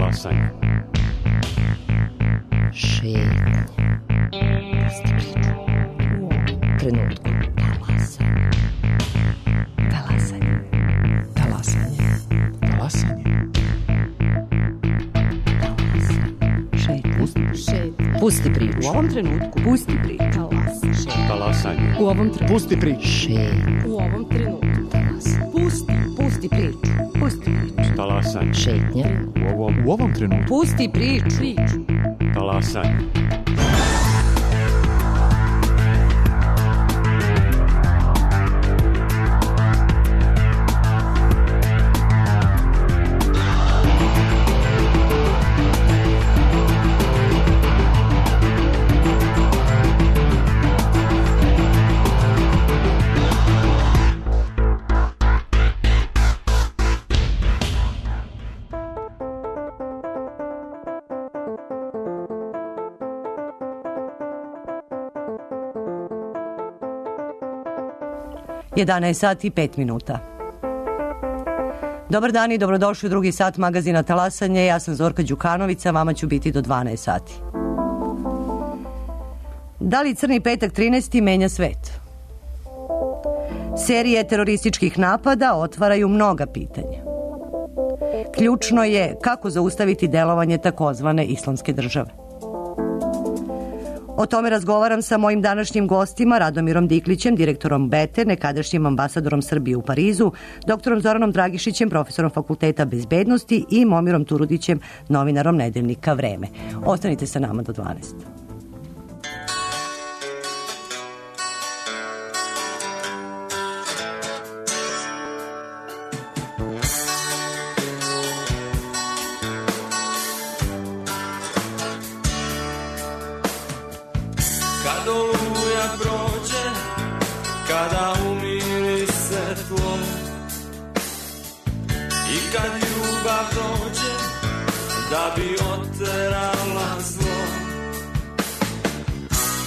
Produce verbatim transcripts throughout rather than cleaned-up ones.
Talasanje. Šetnje. Pusti priču. U ovom trenutku. Talasanje. Talasanje. Talasanje. Talasanje. Šetnje. Pusti priču. U ovom trenutku. Pusti priču. Talasanje. Talasanje. U ovom trenutku. Pusti priču. Šetnje. U ovom trenutku. Talasanje. Pusti. Pusti priču. Pusti priču. Talasanje. Šetnje. U ovom, u ovom trenutku. Pusti priču. Priču. Talasanje. jedanaest sati i pet minuta. Dobar dan i dobrodošli u drugi sat magazina Talasanje. Ja sam Zorka Đukanovića, vama ću biti do dvanaest sati. Da li Crni petak trinaesti menja svet? Serije terorističkih napada otvaraju mnoga pitanja. Ključno je kako zaustaviti delovanje takozvane islamske države. O tome razgovaram sa mojim današnjim gostima, Radomirom Diklićem, direktorom B E T E, nekadašnjim ambasadorom Srbije u Parizu, doktorom Zoranom Dragišićem, profesorom Fakulteta bezbednosti i Momirom Turudićem, novinarom nedeljnika Vreme. Ostanite sa nama do dvanaest. Da bi oterala zlo,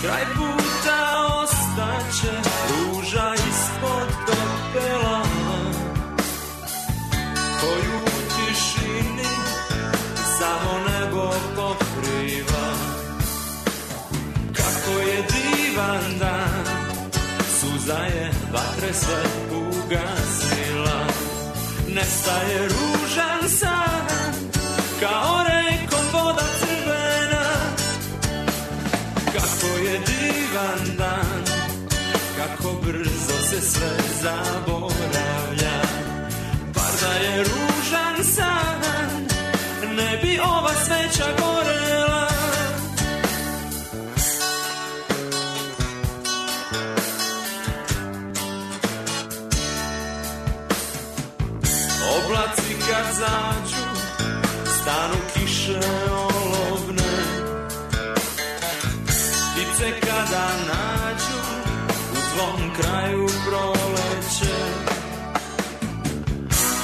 kraj puta ostaće ruža ispod pepela, koju u tišini samo nebo pokriva. Kako je divan dan, suza je vatre sve ugasila, nestaje ružan san, kao rekom voda crvena. Kako je divan dan, kako brzo se sve zaboravlja. Bar da je ružan san, ne bi ova sveća gorela. Oblaci kad zađu, stanu kiše olovne, ptice kada nađu u tvom kraju proleće.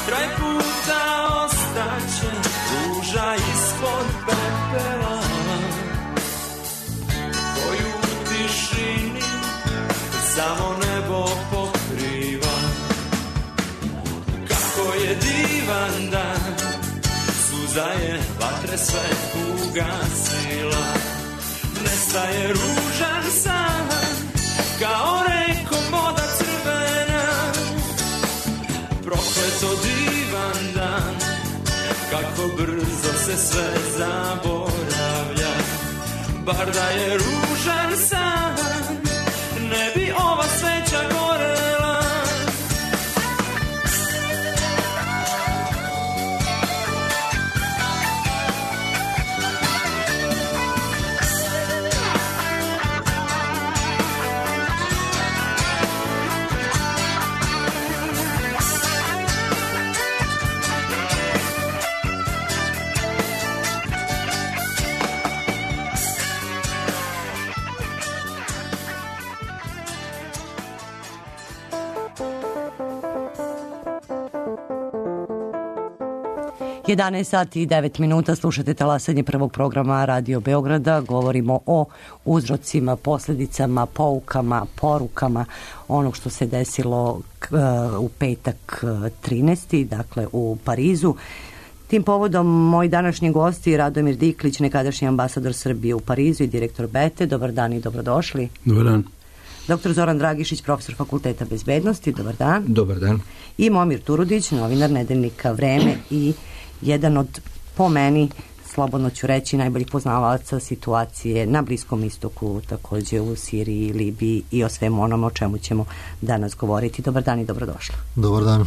Kraj puta ostaće ruža ispod pepela, koju u tišini samo nebo pokriva. Kako je divan dan, suza je vatre sve ugasila, nestaje ružan san, kao rekom voda crvena. Prokleto divan dan, kako brzo se sve zaboravlja. Bar da je ružan san, ne bi ova sveća gorela. jedanaest sati i devet minuta, slušate Talasanje prvog programa Radio Beograda. Govorimo o uzrocima, posljedicama, poukama, porukama onog što se desilo uh, u petak trinaesti, dakle u Parizu. Tim povodom moji današnji gosti Radomir Diklić, nekadašnji ambasador Srbije u Parizu i direktor Bete. Dobar dan i dobrodošli. Dobar dan. Doktor Zoran Dragišić, profesor Fakulteta bezbednosti. Dobar dan. Dobar dan. I Momir Turudić, novinar nedeljnika Vreme i jedan od, po meni, slobodno ću reći, najboljih poznavaca situacije na Bliskom istoku, također u Siriji, Libiji i o svemu onome o čemu ćemo danas govoriti. Dobar dan i dobrodošli. Dobar dan.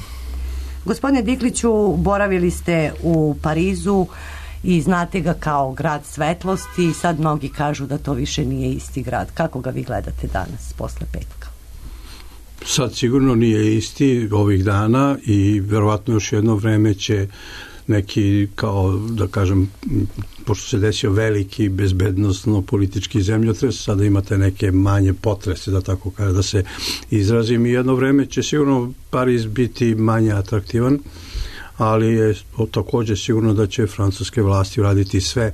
Gospodine Dikliću, boravili ste u Parizu i znate ga kao grad svetlosti i sad mnogi kažu da to više nije isti grad. Kako ga vi gledate danas, posle petka? Sad sigurno nije isti ovih dana i verovatno još jedno vreme će neki, kao da kažem, pošto se desio veliki bezbednosno politički zemljotres, sada imate neke manje potrese, da tako kaže, da se izrazim, i jedno vreme će sigurno Pariz biti manje atraktivan, ali je također sigurno da će francuske vlasti raditi sve,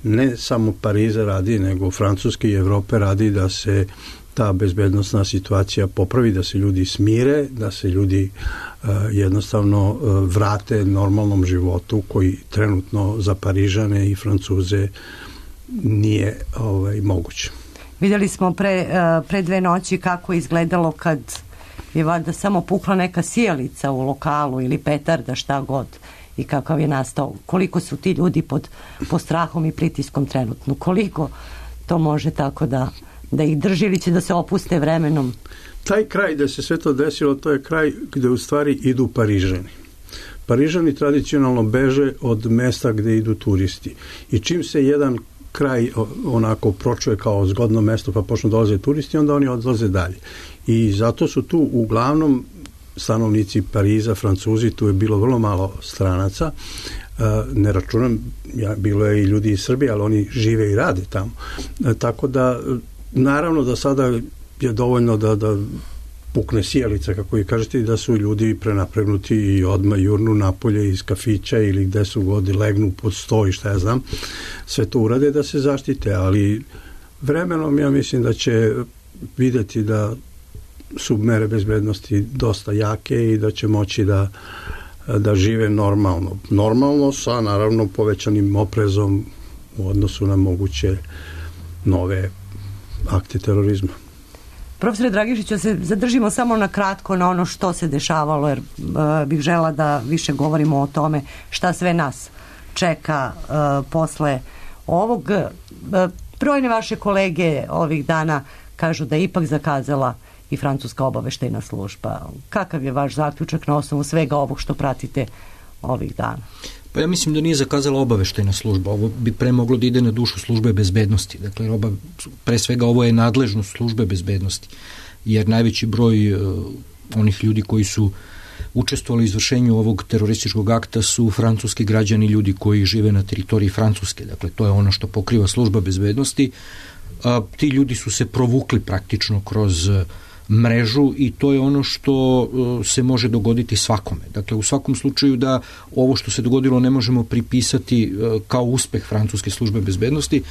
ne samo Pariza radi, nego Francuske i Evrope radi da se ta bezbednosna situacija popravi, da se ljudi smire, da se ljudi uh, jednostavno uh, vrate normalnom životu koji trenutno za Parižane i Francuze nije ovaj, moguće. Vidjeli smo pre, uh, pre dve noći kako je izgledalo kad je valjda samo pukla neka sijalica u lokalu ili petarda, šta god, i kakav je nastao. Koliko su ti ljudi pod, pod strahom i pritiskom trenutno? Koliko to može tako da da ih drži ili će da se opuste vremenom? Taj kraj gde se sve to desilo, to je kraj gde u stvari idu Parižani. Parižani tradicionalno beže od mesta gde idu turisti. I čim se jedan kraj onako pročuje kao zgodno mesto pa počnu dolaze turisti, onda oni odlaze dalje. I zato su tu uglavnom stanovnici Pariza, Francuzi, tu je bilo vrlo malo stranaca. Ne računam, ja, bilo je i ljudi iz Srbije, ali oni žive i rade tamo. Tako da naravno da sada je dovoljno da, da pukne sijalica, kako i kažete, i da su ljudi prenapregnuti i odmah jurnu napolje iz kafića ili gde su god, legnu pod sto i šta ja znam, sve to urade da se zaštite, ali vremenom ja mislim da će vidjeti da su mere bezbednosti dosta jake i da će moći da, da žive normalno. Normalno sa naravno povećanim oprezom u odnosu na moguće nove akte terorizma. Profesore Dragišiću, se zadržimo samo na kratko na ono što se dešavalo, jer uh, bih žela da više govorimo o tome šta sve nas čeka uh, posle ovog. Uh, brojne vaše kolege ovih dana kažu da je ipak zakazala i francuska obaveštajna služba. Kakav je vaš zaključak na osnovu svega ovog što pratite ovih dana? Pa ja mislim da nije zakazala obaveštajna služba. Ovo bi pre moglo da ide na dušu službe bezbednosti. Dakle, oba, pre svega ovo je nadležnost službe bezbednosti. Jer najveći broj uh, onih ljudi koji su učestvovali u izvršenju ovog terorističkog akta su francuski građani, ljudi koji žive na teritoriji Francuske. Dakle, to je ono što pokriva služba bezbednosti. A, ti ljudi su se provukli praktično kroz uh, mrežu i to je ono što uh, se može dogoditi svakome. Dakle, u svakom slučaju da ovo što se dogodilo ne možemo pripisati uh, kao uspeh francuske službe bezbednosti,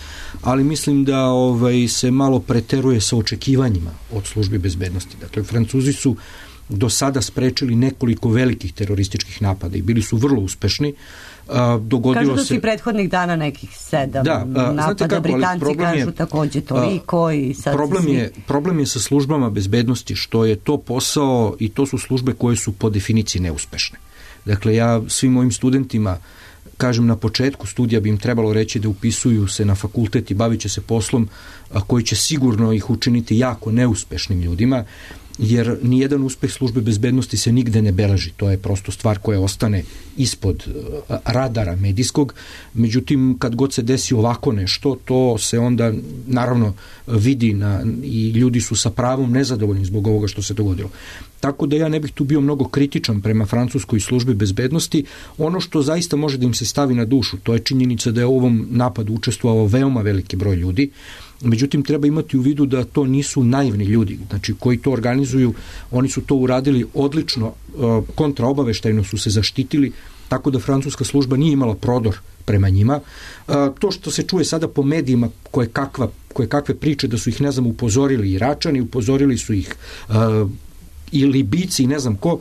ali mislim da ovaj, se malo preteruje sa očekivanjima od službe bezbednosti. Dakle, Francuzi su do sada sprečili nekoliko velikih terorističkih napada i bili su vrlo uspešni. Uh, dogodilo kažu da su se... i prethodnih dana nekih sedam da, uh, napada, kako, Britanci kažu je, također toliko uh, i sad problem svi... je, problem je sa službama bezbednosti što je to posao i to su službe koje su po definiciji neuspešne. Dakle, ja svim mojim studentima kažem na početku studija bi im trebalo reći da upisuju se na fakultet i bavit će se poslom a, koji će sigurno ih učiniti jako neuspešnim ljudima, jer nijedan uspeh službe bezbednosti se nigde ne beleži. To je prosto stvar koja ostane ispod uh, radara medijskog. Međutim, kad god se desi ovako nešto, to se onda naravno vidi na, i ljudi su sa pravom nezadovoljni zbog ovoga što se dogodilo. Tako da ja ne bih tu bio mnogo kritičan prema francuskoj službi bezbednosti. Ono što zaista može da im se stavi na dušu, to je činjenica da je u ovom napadu učestvovao veoma veliki broj ljudi. Međutim, treba imati u vidu da to nisu naivni ljudi, znači koji to organizuju, oni su to uradili odlično, kontraobaveštajno su se zaštitili, tako da francuska služba nije imala prodor prema njima. To što se čuje sada po medijima koje, kakva, koje kakve priče da su ih, ne znam, upozorili Iračani, upozorili su ih uh, i Libijci i ne znam ko,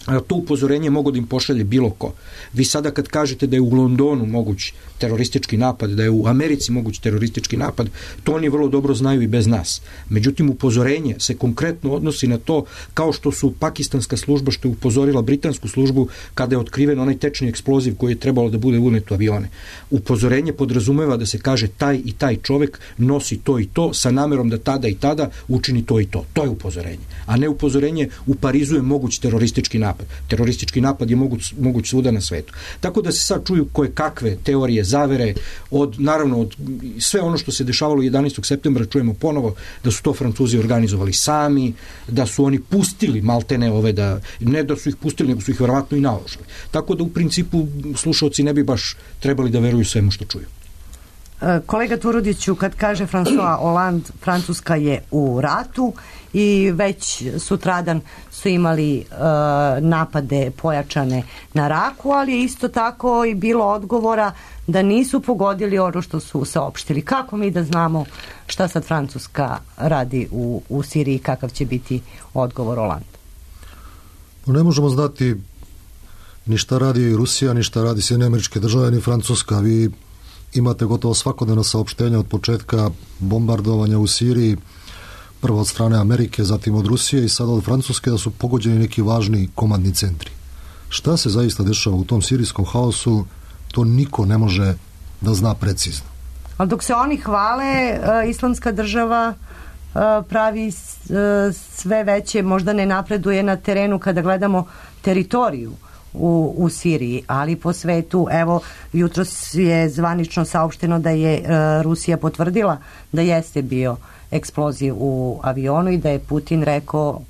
to upozorenje mogu da im pošalje bilo ko. Vi sada kad kažete da je u Londonu moguć teroristički napad, da je u Americi moguć teroristički napad, to oni vrlo dobro znaju i bez nas. Međutim, upozorenje se konkretno odnosi na to kao što su pakistanska služba što je upozorila britansku službu kada je otkriven onaj tečni eksploziv koji je trebalo da bude unet u avione. Upozorenje podrazumeva da se kaže taj i taj čovek nosi to i to sa namerom da tada i tada učini to i to. To je upozorenje. A ne upozorenje u Parizu je moguć teroristički napad. Teroristički napad je moguć, moguć svuda na svetu. Tako da se sad čuju koje kakve teorije zavere, od, naravno od sve ono što se dešavalo jedanaestog septembra čujemo ponovo da su to Francuzi organizovali sami, da su oni pustili maltene ove, da, ne da su ih pustili, nego su ih verovatno i naoružali. Tako da u principu slušaoci ne bi baš trebali da veruju svemu što čuju. Kolega Turudiću, kad kaže François Hollande, Francuska je u ratu i već sutradan su imali e, napade pojačane na Raku, ali je isto tako i bilo odgovora da nisu pogodili ono što su saopštili. Kako mi da znamo šta sad Francuska radi u, u Siriji, kakav će biti odgovor Hollande? Ne možemo znati ni šta radi Rusija, ni šta radi Sjedinjene Američke Države, ni Francuska. Vi imate gotovo svakodnevna saopštenja od početka bombardovanja u Siriji, prvo od strane Amerike, zatim od Rusije i sada od Francuske, da su pogođeni neki važni komandni centri. Šta se zaista dešava u tom sirijskom haosu, to niko ne može da zna precizno. Ali dok se oni hvale, Islamska država pravi sve veće, možda ne napreduje na terenu kada gledamo teritoriju U, u Siriji, ali po svetu. Evo, jutros je zvanično saopšteno da je e, Rusija potvrdila da jeste bio eksploziv u avionu i da je Putin rekao...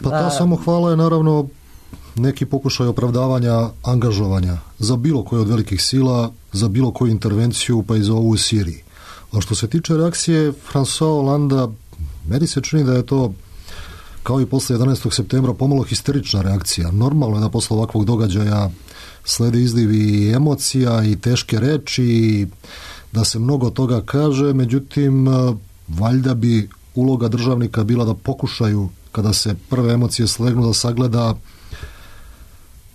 Pa ta samo hvala je naravno neki pokušaj opravdavanja angažovanja za bilo koje od velikih sila, za bilo koju intervenciju, pa i za ovu u Siriji. A što se tiče reakcije François Hollanda, meni se čini da je to kao i posle jedanaestog septembra pomalo histerična reakcija. Normalno je da posle ovakvog događaja slede izlivi emocija i teške reči, da se mnogo toga kaže, međutim, valjda bi uloga državnika bila da pokušaju, kada se prve emocije slegnu, da sagleda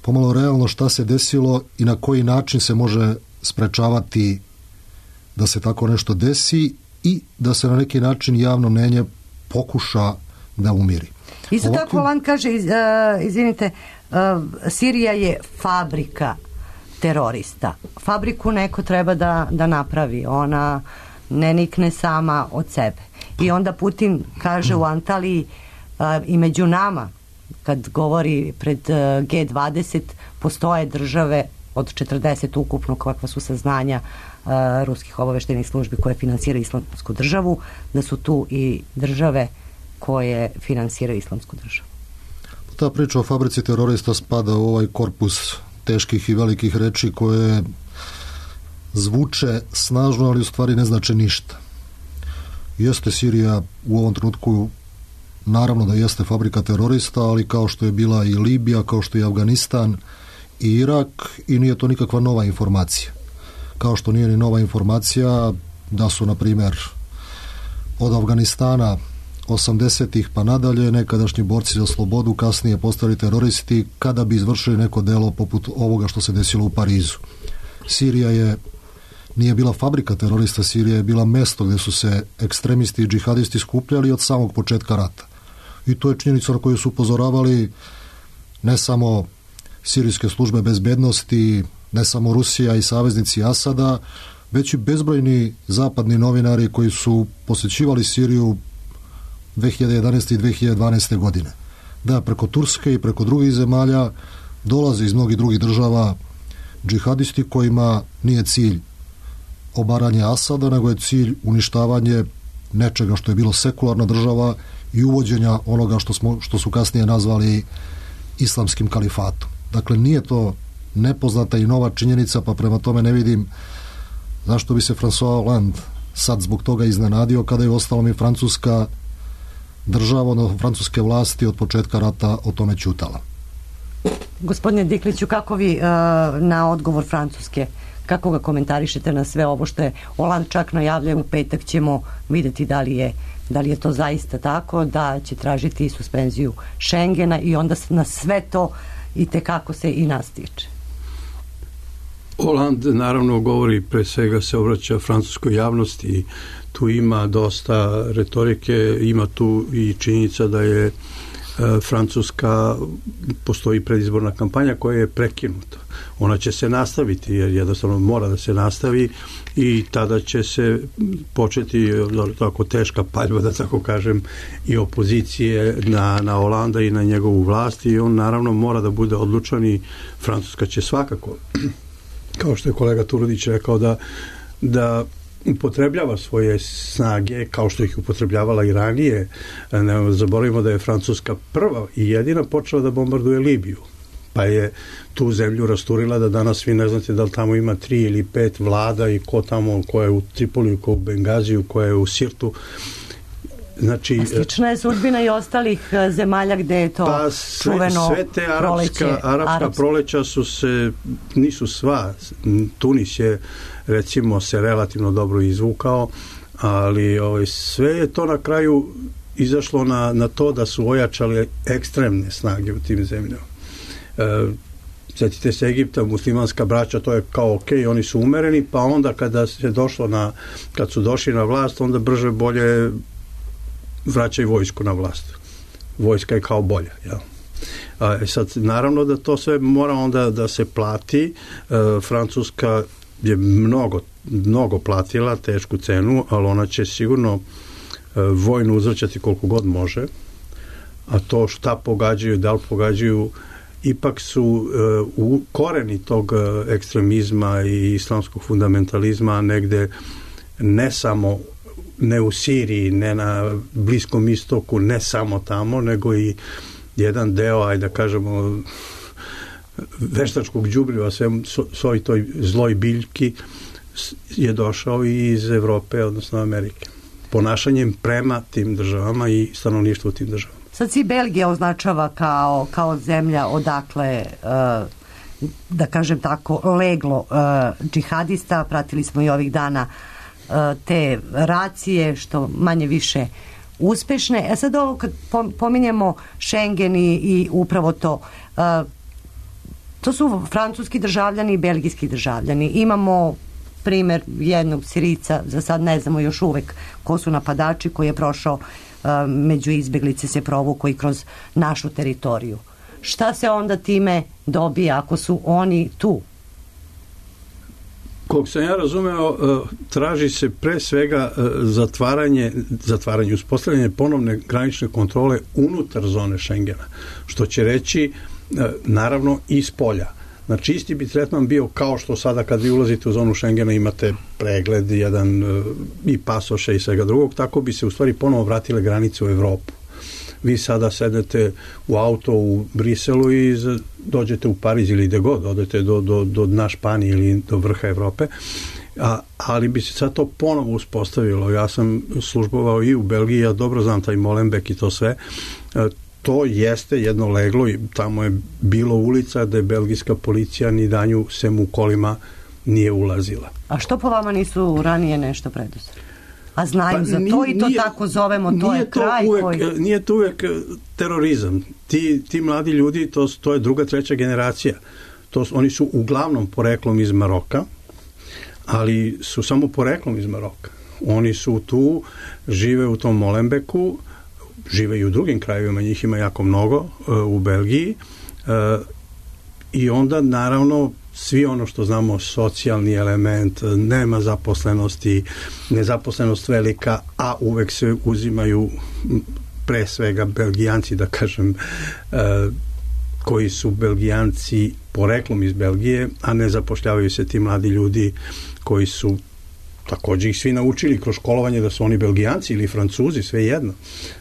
pomalo realno šta se desilo i na koji način se može sprečavati da se tako nešto desi i da se na neki način javno mnenje pokuša da umiri. Isto Ovako... tako Hollande kaže, iz, uh, izvinite, uh, Sirija je fabrika terorista. Fabriku neko treba da, da napravi. Ona ne nikne sama od sebe. I onda Putin kaže u Antaliji uh, i među nama, kad govori pred uh, G dvadeset, postoje države od četrdeset ukupno, kakva su saznanja uh, ruskih obaveštajnih službi koje finansiraju Islamsku državu, da su tu i države koje finansiraju Islamsku državu. Ta priča o fabrici terorista spada u ovaj korpus teških i velikih reči koje zvuče snažno, ali u stvari ne znače ništa. Jeste Sirija u ovom trenutku, naravno da jeste fabrika terorista, ali kao što je bila i Libija, kao što je Afganistan i Irak, i nije to nikakva nova informacija. Kao što nije ni nova informacija da su, na primjer, od Afganistana osamdesetih pa nadalje nekadašnji borci za slobodu kasnije postali teroristi kada bi izvršili neko delo poput ovoga što se desilo u Parizu. Sirija je nije bila fabrika terorista, Sirija je bila mesto gdje su se ekstremisti i džihadisti skupljali od samog početka rata. I to je činjenica na koju su upozoravali ne samo sirijske službe bezbednosti, ne samo Rusija i saveznici Asada, već i bezbrojni zapadni novinari koji su posjećivali Siriju dve hiljade jedanaeste i dve hiljade dvanaeste godine. Da, preko Turske i preko drugih zemalja dolaze iz mnogih drugih država džihadisti kojima nije cilj obaranje Asada, nego je cilj uništavanje nečega što je bilo sekularna država i uvođenja onoga što, smo, što su kasnije nazvali islamskim kalifatom. Dakle, nije to nepoznata i nova činjenica, pa prema tome ne vidim zašto bi se François Hollande sad zbog toga iznenadio kada je ostalom i Francuska država, odnosno francuske vlasti od početka rata o tome ćutala. Gospodine Dikliću, kako vi uh, na odgovor Francuske, kako ga komentarišete na sve ovo što je Hollande čak najavljaju, u petak ćemo vidjeti da li je Da li je to zaista tako da će tražiti suspenziju Schengena i onda na sve to i tekako se i nas tiče? Hollande naravno govori, pre svega se obraća francuskoj javnosti i tu ima dosta retorike, ima tu i činjenica da je e, Francuska, postoji predizborna kampanja koja je prekinuta. Ona će se nastaviti jer jednostavno mora da se nastavi i tada će se početi tako teška paljba, da tako kažem, i opozicije na, na Holanda i na njegovu vlast i on naravno mora da bude odlučan i Francuska će svakako, kao što je kolega Turudić rekao, da, da upotrebljava svoje snage kao što ih upotrebljavala i ranije. Ne zaboravimo da je Francuska prva i jedina počela da bombarduje Libiju, pa je tu zemlju rasturila da danas vi ne znate da li tamo ima tri ili pet vlada i ko tamo, ko je u Tripoliju, ko u Bengaziju, ko je u Sirtu. Znači, a slična je sudbina i ostalih zemalja gde je to pa sve, čuveno sve te arapska, proleće, arapska arapska proleća su se, nisu sva. Tunis je recimo se relativno dobro izvukao, ali ovaj, sve je to na kraju izašlo na, na to da su ojačali ekstremne snage u tim zemljama. E, sjetite se Egipta, muslimanska braća, to je kao ok, oni su umereni, pa onda kada se došlo na, kad su došli na vlast, onda brže bolje vraćaju vojsku na vlast. Vojska je kao bolja, jel? A, sad, naravno da to sve mora onda da se plati. E, Francuska je mnogo, mnogo platila tešku cenu, ali ona će sigurno e, vojnu uzvrćati koliko god može, a to šta pogađaju, da li pogađaju, ipak su e, u koreni tog e, ekstremizma i islamskog fundamentalizma negde ne samo ne u Siriji, ne na Bliskom istoku, ne samo tamo, nego i jedan deo, ajde da kažemo, veštačkog đubriva, sve svoj toj zloj biljki je došao i iz Evrope, odnosno Amerike. Ponašanjem prema tim državama i stanovništvu u tim državama. Sad si Belgija označava kao, kao zemlja odakle, uh, da kažem tako, leglo uh, džihadista. Pratili smo i ovih dana te racije, što manje više uspešne. A sad ovo kad pominjemo Schengen i, i upravo to, to su francuski državljani i belgijski državljani. Imamo primer jednog Sirica, za sad ne znamo još uvek ko su napadači, koji je prošao među izbeglice, se provukao i kroz našu teritoriju. Šta se onda time dobija ako su oni tu? Koliko sam ja razumeo, traži se pre svega zatvaranje, zatvaranje, uspostavljanje ponovne granične kontrole unutar zone Schengena, što će reći naravno iz polja. Znači isti bi tretman bio kao što sada kad vi ulazite u zonu Schengena imate pregled, jedan i pasoše i svega drugog, tako bi se u stvari ponovo vratile granice u Evropu. Vi sada sedete u auto u Briselu i dođete u Pariz ili gde god, odete do, do, do dna Španije ili do vrha Evrope, a, ali bi se sad to ponovo uspostavilo. Ja sam službovao i u Belgiji, ja dobro znam taj Molenbeek i to sve. E, to jeste jedno leglo i tamo je bilo ulica da je belgijska policija ni danju sem u kolima nije ulazila. A što po vama nisu ranije nešto preduzeli? A znaju pa, za to nije, i to tako zovemo, to je kraj uvek, koji... Nije to uvek terorizam. Ti, ti mladi ljudi, to, to je druga, treća generacija. To, oni su uglavnom poreklom iz Maroka, ali su samo poreklom iz Maroka. Oni su tu, žive u tom Molenbeeku, žive i u drugim krajevima, njih ima jako mnogo u Belgiji, i onda naravno svi ono što znamo, socijalni element, nema zaposlenosti, nezaposlenost velika, a uvek se uzimaju pre svega Belgijanci, da kažem, koji su Belgijanci poreklom iz Belgije, a ne zapošljavaju se ti mladi ljudi koji su takođe ih svi naučili kroz školovanje da su oni Belgijanci ili Francuzi, sve jedno.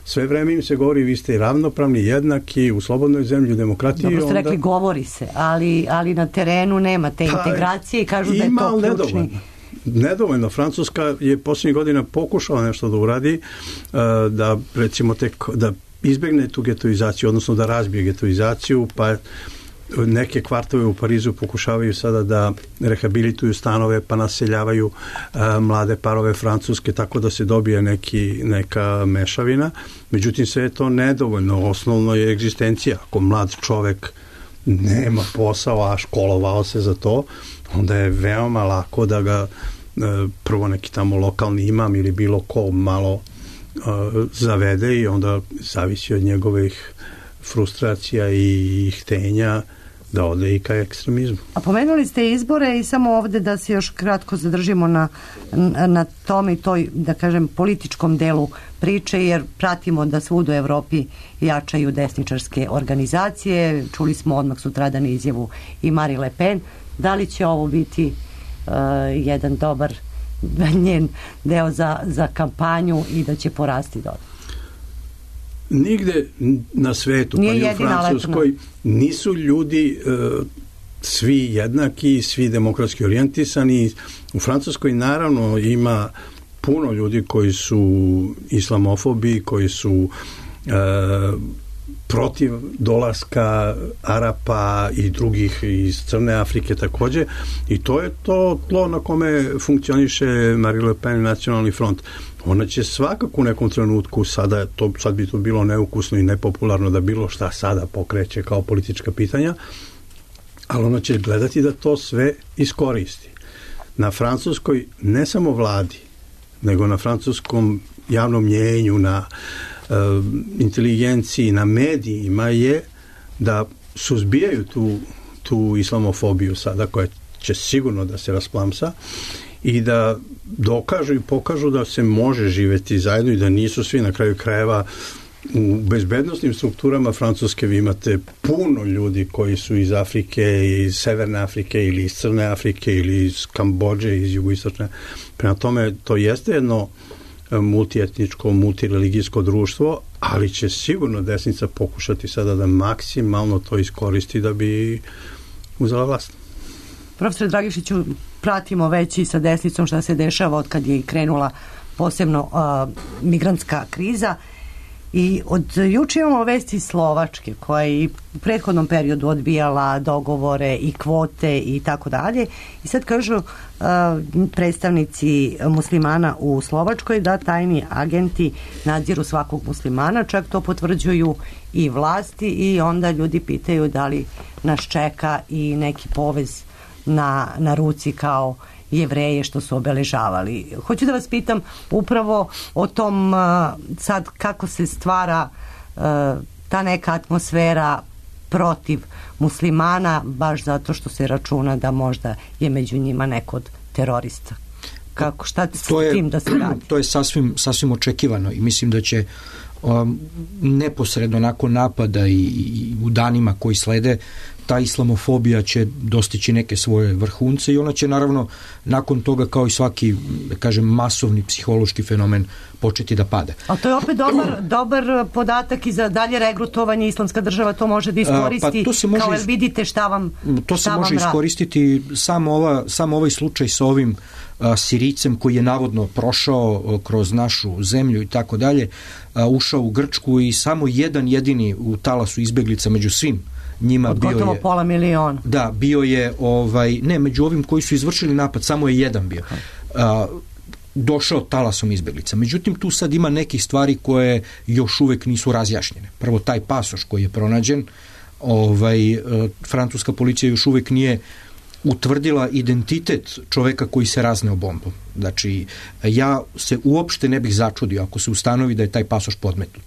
Sve vreme im se govori, vi ste ravnopravni, jednaki, u slobodnoj zemlji, u demokratiji. Dobro ste onda... rekli, govori se, ali, ali na terenu nema te pa, integracije i kažu da je to ključni. Nedovoljno. Nedovoljno. Francuska je posljednjih godina pokušala nešto da uradi, da recimo tek, da izbegne tu getoizaciju, odnosno da razbije getoizaciju, pa neke kvartove u Parizu pokušavaju sada da rehabilituju stanove pa naseljavaju a, mlade parove francuske tako da se dobije neki, neka mešavina. Međutim, sve je to nedovoljno. Osnovno je egzistencija. Ako mlad čovek nema posao, a školovao se za to, onda je veoma lako da ga prvo neki tamo lokalni imam ili bilo ko malo uh, zavede i onda zavisi od njegovih frustracija i htenja da ode i ka ekstremizmu. A pomenuli ste izbore i samo ovde da se još kratko zadržimo na, na tom i toj, da kažem, političkom delu priče, jer pratimo da svud u Evropi jačaju desničarske organizacije. Čuli smo odmah sutradan izjavu i Marie Le Pen. Da li će ovo biti Uh, jedan dobar njen deo za, za kampanju i da će porasti dodatno? Nigde na svetu, Nije pa i u Francuskoj, letna. nisu ljudi uh, svi jednaki, svi demokratski orijentisani. U Francuskoj naravno ima puno ljudi koji su islamofobi, koji su uh, protiv dolaska Arapa i drugih iz Crne Afrike takođe, i to je to tlo na kome funkcioniše Marie Le Pen i Nacionalni front. Ona će svakako u nekom trenutku, sada to, sad bi to bilo neukusno i nepopularno da bilo šta sada pokreće kao politička pitanja, ali ona će gledati da to sve iskoristi. Na Francuskoj, ne samo vladi, nego na francuskom javnom mnjenju, na inteligenciji, na medijima je da suzbijaju tu, tu islamofobiju sada koja će sigurno da se rasplamsa i da dokažu i pokažu da se može živeti zajedno i da nisu svi na kraju krajeva u bezbednostnim strukturama Francuske. Vi imate puno ljudi koji su iz Afrike, iz Severne Afrike ili iz Crne Afrike ili iz Kambodže, iz jugoistočne. Prema tome, to jeste jedno multietničko, multireligijsko društvo, ali će sigurno desnica pokušati sada da maksimalno to iskoristi da bi uzela vlast. Profesor Dragišiću, pratimo već i sa desnicom šta se dešava od kad je krenula posebno uh, migrantska kriza i od juče imamo vesti Slovačke koja je u prethodnom periodu odbijala dogovore i kvote i tako dalje i sad kažu uh, predstavnici muslimana u Slovačkoj da tajni agenti nadziru svakog muslimana, čak to potvrđuju i vlasti i onda ljudi pitaju da li nas čeka i neki povez na, na ruci kao Jevreje što su obeležavali. Hoću da vas pitam upravo o tom sad kako se stvara ta neka atmosfera protiv muslimana, baš zato što se računa da možda je među njima neko od terorista. Kako, šta s tim da se radi? To je sasvim, sasvim očekivano i mislim da će um, neposredno nakon napada i, i u danima koji slede ta islamofobija će dostići neke svoje vrhunce i ona će naravno nakon toga kao i svaki, da kažem, masovni psihološki fenomen početi da pada. A to je opet dobar, dobar podatak i za dalje regrutovanje. Islamska država to može da iskoristi, pa to se može, kao jer vidite šta vam to šta se može iskoristiti samo, ova, samo ovaj slučaj sa ovim a, Sirijcem koji je navodno prošao a, kroz našu zemlju i tako dalje, a, ušao u Grčku i samo jedan jedini u talasu izbeglica među svim njima od bio gotovo je pola miliona. Da, bio je ovaj ne, među ovim koji su izvršili napad samo je jedan bio. A, došao talasom izbeglica. Međutim, tu sad ima nekih stvari koje još uvek nisu razjašnjene. Prvo, taj pasoš koji je pronađen, ovaj, francuska policija još uvek nije utvrdila identitet čoveka koji se razneo bombom. Znači, ja se uopšte ne bih začudio ako se ustanovi da je taj pasoš podmetnut.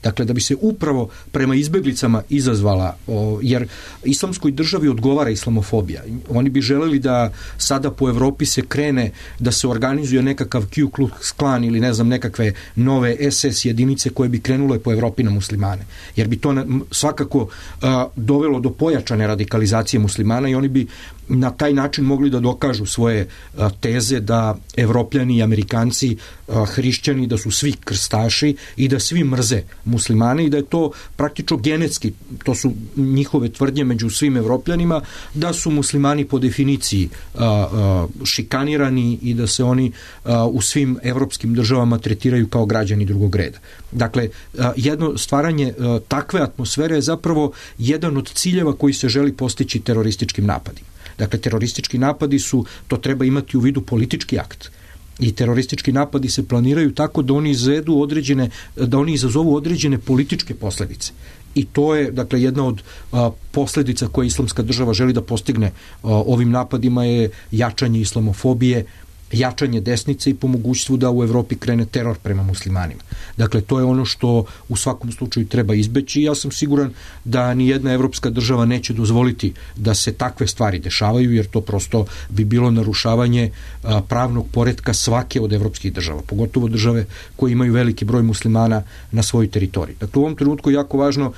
Dakle, da bi se upravo prema izbeglicama izazvala, o, jer islamskoj državi odgovara islamofobija. Oni bi želeli da sada po Evropi se krene, da se organizuje nekakav Ku Klux Klan ili ne znam nekakve nove es es jedinice koje bi krenule po Evropi na muslimane. Jer bi to na, svakako a, dovelo do pojačane radikalizacije muslimana i oni bi na taj način mogli da dokažu svoje a, teze da Evropljani i Amerikanci, a, hrišćani, da su svi krstaši i da svi mrze muslimane i da je to praktično genetski, to su njihove tvrdnje među svim Evropljanima, da su muslimani po definiciji a, a, šikanirani i da se oni a, u svim evropskim državama tretiraju kao građani drugog reda. Dakle, a, jedno stvaranje a, takve atmosfere je zapravo jedan od ciljeva koji se želi postići terorističkim napadima. Dakle, teroristički napadi su, to treba imati u vidu politički akt. I teroristički napadi se planiraju tako da oni izvedu određene, da oni izazovu određene političke posljedice. I to je, dakle, jedna od a, posljedica koje Islamska država želi da postigne a, ovim napadima je jačanje islamofobije, jačanje desnice i po mogućstvu da u Evropi krene teror prema muslimanima. Dakle, to je ono što u svakom slučaju treba izbeći i ja sam siguran da ni jedna evropska država neće dozvoliti da se takve stvari dešavaju, jer to prosto bi bilo narušavanje a, pravnog poretka svake od evropskih država, pogotovo države koje imaju veliki broj muslimana na svojoj teritoriji. Dakle, u ovom trenutku je jako važno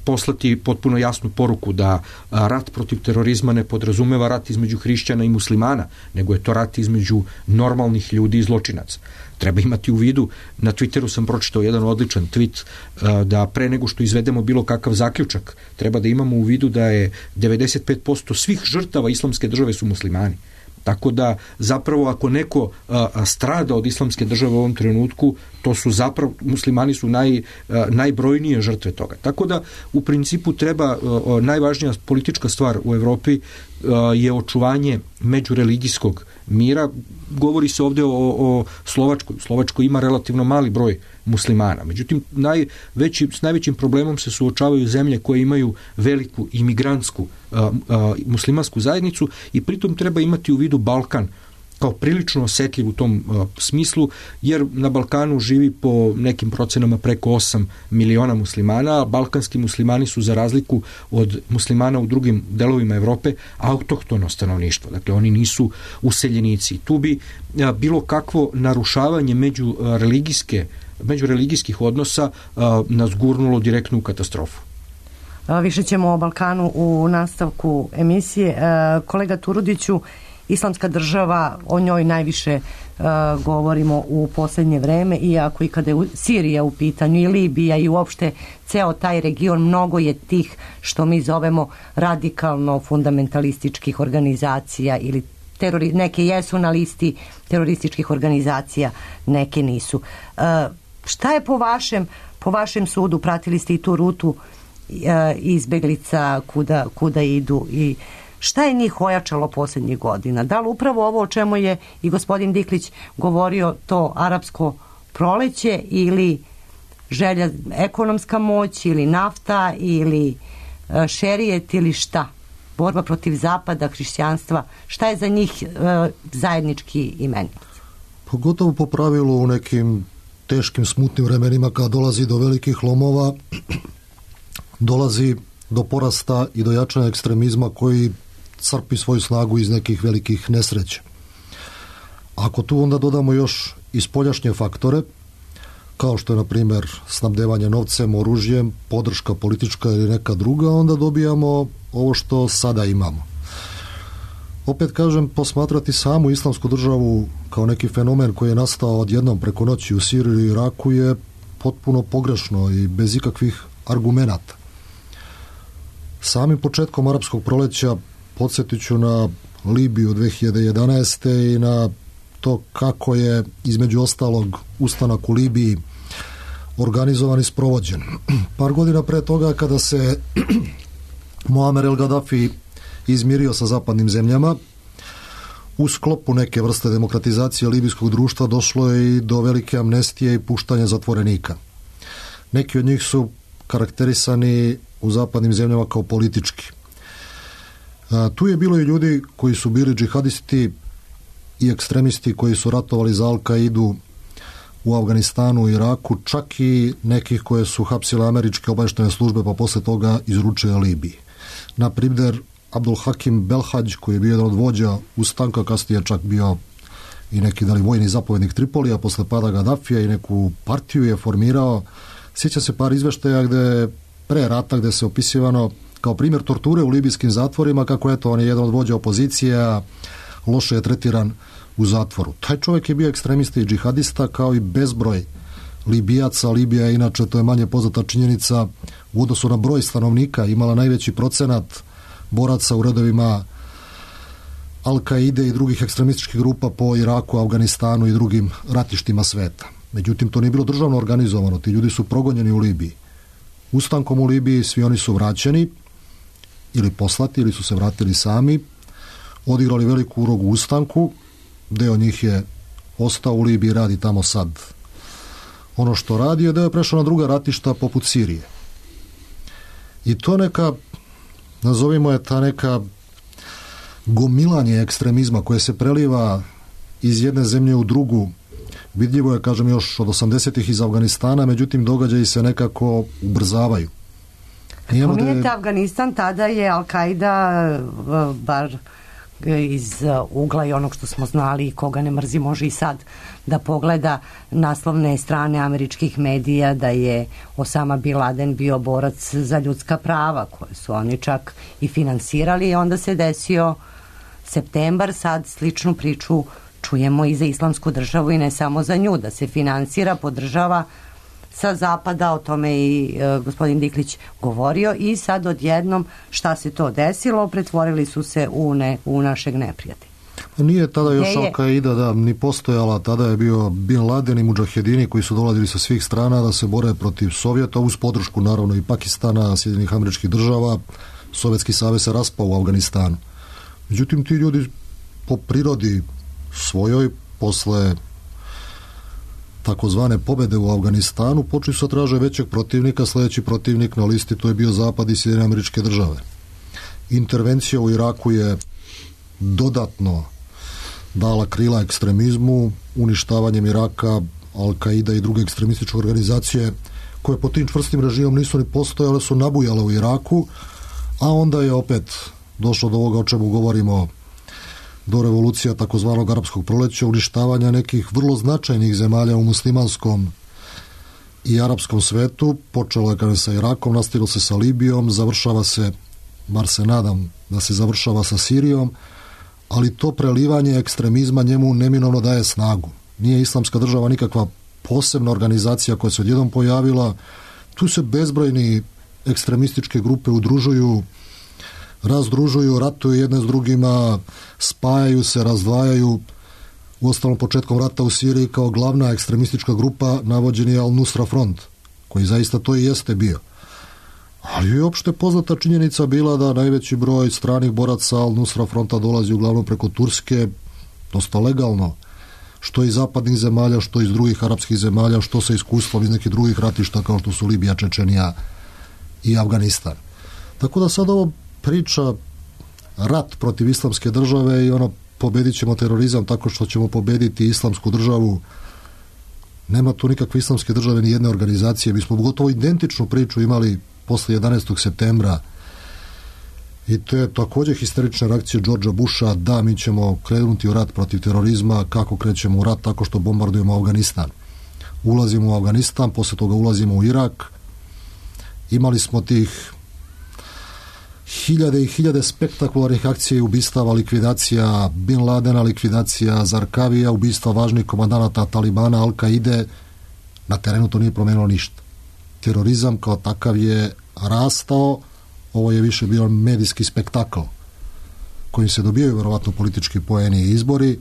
poslati potpuno jasnu poruku da rat protiv terorizma ne podrazumeva rat između hrišćana i muslimana, nego je to rat između normalnih ljudi i zločinaca. Treba imati u vidu, na Twitteru sam pročitao jedan odličan tweet, da pre nego što izvedemo bilo kakav zaključak, treba da imamo u vidu da je devedeset pet posto svih žrtava islamske države su muslimani. Tako da zapravo ako neko a, a, strada od islamske države u ovom trenutku, to su zapravo, muslimani su naj, a, najbrojnije žrtve toga. Tako da u principu treba, a, a, najvažnija politička stvar u Evropi a, je očuvanje međureligijskog mira. Govori se ovdje o, o Slovačkoj. Slovačkoj ima relativno mali broj muslimana. Međutim, najveći, s najvećim problemom se suočavaju zemlje koje imaju veliku imigrantsku a, a, muslimansku zajednicu i pritom treba imati u vidu Balkan kao prilično osjetljiv u tom a, smislu, jer na Balkanu živi po nekim procenama preko osam miliona muslimana, a balkanski muslimani su za razliku od muslimana u drugim delovima Evrope autohtono stanovništvo. Dakle, oni nisu useljenici. Tu bi a, bilo kakvo narušavanje među a, religijske međureligijskih odnosa a, nas gurnulo direktno u katastrofu. Više ćemo o Balkanu u nastavku emisije. Kolega Turudiću, Islamska država, o njoj najviše uh, govorimo u posljednje vreme, iako i kada je Sirija u pitanju i Libija i uopšte ceo taj region, mnogo je tih što mi zovemo radikalno fundamentalističkih organizacija ili terori, neke jesu na listi terorističkih organizacija, neke nisu. Uh, šta je po vašem, po vašem sudu, pratili ste i tu rutu uh, izbeglica kuda, kuda idu i šta je njih ojačalo posljednjih godina? Da li upravo ovo o čemu je i gospodin Diklić govorio, to arapsko proleće ili želja, ekonomska moć ili nafta ili uh, šerijet ili šta? Borba protiv zapada, hrišćanstva, šta je za njih uh, zajednički imenik? Pogotovo po pravilu u nekim teškim smutnim vremenima kada dolazi do velikih lomova, dolazi do porasta i do jačanja ekstremizma koji crpi svoju snagu iz nekih velikih nesreća. Ako tu onda dodamo još i spoljašnje faktore, kao što je, na primjer, snabdevanje novcem, oružjem, podrška politička ili neka druga, onda dobijamo ovo što sada imamo. Opet kažem, posmatrati samu islamsku državu kao neki fenomen koji je nastao odjednom preko noći u Siriji i Iraku je potpuno pogrešno i bez ikakvih argumenata. Samim početkom arapskog proleća podsjetit ću na Libiju dve hiljade jedanaeste. i na to kako je između ostalog ustanak u Libiji organizovan i sprovođen. Par godina pre toga kada se Muammar el Gaddafi izmirio sa zapadnim zemljama, u sklopu neke vrste demokratizacije libijskog društva došlo je i do velike amnestije i puštanja zatvorenika. Neki od njih su karakterisani u zapadnim zemljama kao politički. A, tu je bilo i ljudi koji su bili džihadisti i ekstremisti koji su ratovali za Al-Kaidu u Afganistanu i Iraku, čak i nekih koje su hapsile američke obavještajne službe pa posle toga izručile Libiji. Na primjer, Abdul Hakim Belhadž, koji je bio jedan od vođa ustanka, kasnije čak bio i neki dali vojni zapovjednik Tripolija posle pada Gaddafija i neku partiju je formirao. Sjeća se par izveštaja gde pre rata gde se opisivano kao primjer torture u libijskim zatvorima, kako eto on je jedan od vođa opozicije, a loše je tretiran u zatvoru. Taj čovjek je bio ekstremista i džihadista kao i bezbroj Libijaca. Libija je inače, to je manje poznata činjenica, u odnosu na broj stanovnika imala najveći procenat boraca u redovima Al-Kaide i drugih ekstremističkih grupa po Iraku, Afganistanu i drugim ratištima sveta. Međutim, to nije bilo državno organizovano, ti ljudi su progonjeni u Libiji. Ustankom u Libiji svi oni su vraćeni ili poslati ili su se vratili sami, odigrali veliku ulogu u ustanku, deo njih je ostao u Libiji i radi tamo sad ono što radi, je deo je prešao na druga ratišta poput Sirije. I to neka, nazovimo je ta neka gomilanje ekstremizma koje se preliva iz jedne zemlje u drugu, vidljivo je, kažem, još od osamdesetih iz Afganistana, međutim događaji se nekako ubrzavaju. Pominjete Afganistan, tada je Al-Kaida, bar iz ugla i onog što smo znali i koga ne mrzi može i sad da pogleda naslovne strane američkih medija da je Osama Bin Laden bio borac za ljudska prava koje su oni čak i finansirali i onda se desio septembar, sad sličnu priču čujemo i za Islamsku državu i ne samo za nju, da se finansira, podržava sa zapada, o tome i e, gospodin Diklić govorio i sad odjednom šta se to desilo, pretvorili su se u, ne, u našeg neprijatelja. Nije tada još Al-Kaida da, ni postojala, tada je bio Bin Laden i mudžahedini koji su dolazili sa svih strana da se bore protiv Sovjeta, uz podršku naravno i Pakistana, Sjedinjenih Američkih Država. Sovjetski savez se raspao u Afganistanu. Međutim, ti ljudi po prirodi svojoj, posle takozvane pobede u Afganistanu, počeli su traže većeg protivnika. Sljedeći protivnik na listi to je bio Zapad i Sjedinjene Američke Države. Intervencija u Iraku je dodatno dala krila ekstremizmu, uništavanjem Iraka, Al-Kaida i druge ekstremističke organizacije koje po tim čvrstim režimom nisu ni postojale, su nabujale u Iraku, a onda je opet došlo do ovoga o čemu govorimo, do revolucija takozvanog arapskog proleća, uništavanja nekih vrlo značajnih zemalja u muslimanskom i arapskom svetu. Počelo je kada sa Irakom, nastavilo se sa Libijom, završava se, bar se nadam da se završava sa Sirijom, ali to prelivanje ekstremizma njemu neminovno daje snagu. Nije Islamska država nikakva posebna organizacija koja se odjednom pojavila, tu se bezbrojni ekstremističke grupe udružuju, razdružuju, ratuju jedne s drugima, spajaju se, razdvajaju. U ostalom, početkom rata u Siriji kao glavna ekstremistička grupa navođen je Al-Nusra front, koji zaista to i jeste bio. Ali je opšte poznata činjenica bila da najveći broj stranih boraca Al-Nusra fronta dolazi uglavnom preko Turske, dosta legalno, što iz zapadnih zemalja, što iz drugih arapskih zemalja, što sa iskustvom iz nekih drugih ratišta kao što su Libija, Čečenija i Afganistan. Tako da sad ovo priča rat protiv Islamske države i ono pobedit ćemo terorizam tako što ćemo pobediti Islamsku državu. Nema tu nikakve Islamske države ni jedne organizacije. Mi smo gotovo identičnu priču imali posle jedanaestog septembra i to je također histerična reakcija Georgea Busha, da mi ćemo krenuti u rat protiv terorizma. Kako krećemo u rat? Tako što bombardujemo Afganistan. Ulazimo u Afganistan, posle toga ulazimo u Irak. Imali smo tih hiljade i hiljade spektakularnih akcija i ubistava, likvidacija Bin Ladena, likvidacija Zarkavija, ubistva važnih komandanata Talibana, Al-Kaide. Na terenu to nije promenilo ništa. Terorizam kao takav je rastao, ovo je više bio medijski spektakl kojim se dobijaju verovatno politički poeni i izbori,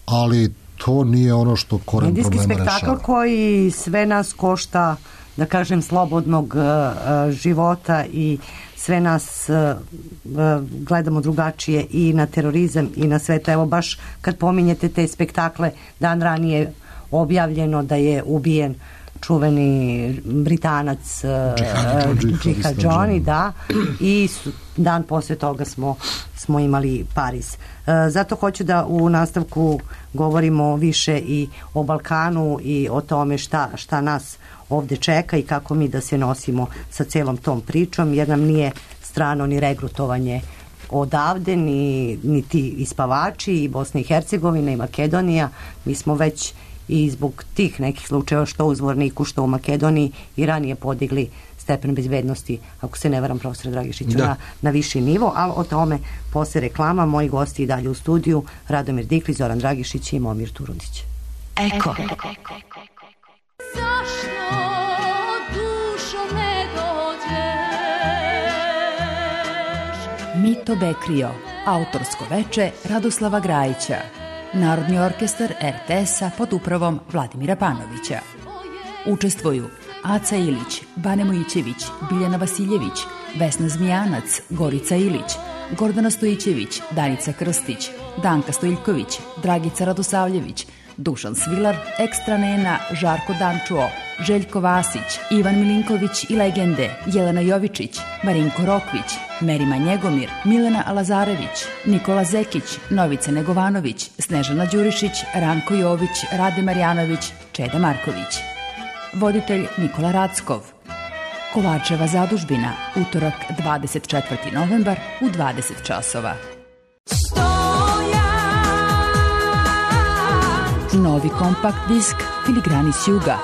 ali to nije ono što koren medijski problema rešava. Medijski spektakl koji sve nas košta, da kažem, slobodnog uh, života i sve nas uh, uh, gledamo drugačije i na terorizam i na sve to. Evo baš kad pominjete te spektakle, dan ranije objavljeno da je ubijen čuveni Britanac Džihad Johnny, da, i dan posle toga smo, smo imali Pariz. E, zato hoću da u nastavku govorimo više i o Balkanu i o tome šta, šta nas ovde čeka i kako mi da se nosimo sa celom tom pričom, jer nam nije strano ni regrutovanje odavde, ni, ni ti ispavači i Bosna i Hercegovina i Makedonija. Mi smo već i zbog tih nekih slučajeva što u Zvorniku, što u Makedoniji i ranije podigli stepen bezbednosti, ako se ne varam, profesor Dragišiću, na, na viši nivo, ali o tome posle reklama. Moji gosti i dalje u studiju, Radomir Diklić, Zoran Dragišić i Momir Turudić. Eko. Eko. Mito Bekrio, autorsko veče Radoslava Grajića, Narodni orkestar er te es-a pod upravom Vladimira Panovića. Učestvuju Aca Ilić, Bane Mojićević, Biljana Vasiljević, Vesna Zmijanac, Gorica Ilić, Gordana Stojićević, Danica Krstić, Danka Stojiljković, Dragica Radosavljević, Dušan Svilar, Ekstra Nena, Žarko Dančuo, Željko Vasić, Ivan Milinković i legende, Jelena Jovičić, Marinko Rokvić, Merima Njegomir, Milena Lazarević, Nikola Zekić, Novica Negovanović, Snežana Đurišić, Ranko Jović, Rade Marjanović, Čeda Marković. Voditelj Nikola Rackov. Kovačeva zadužbina, utorak dvadeset četvrti novembar u dvadeset časova. Novi kompakt disk Filigrani s juga.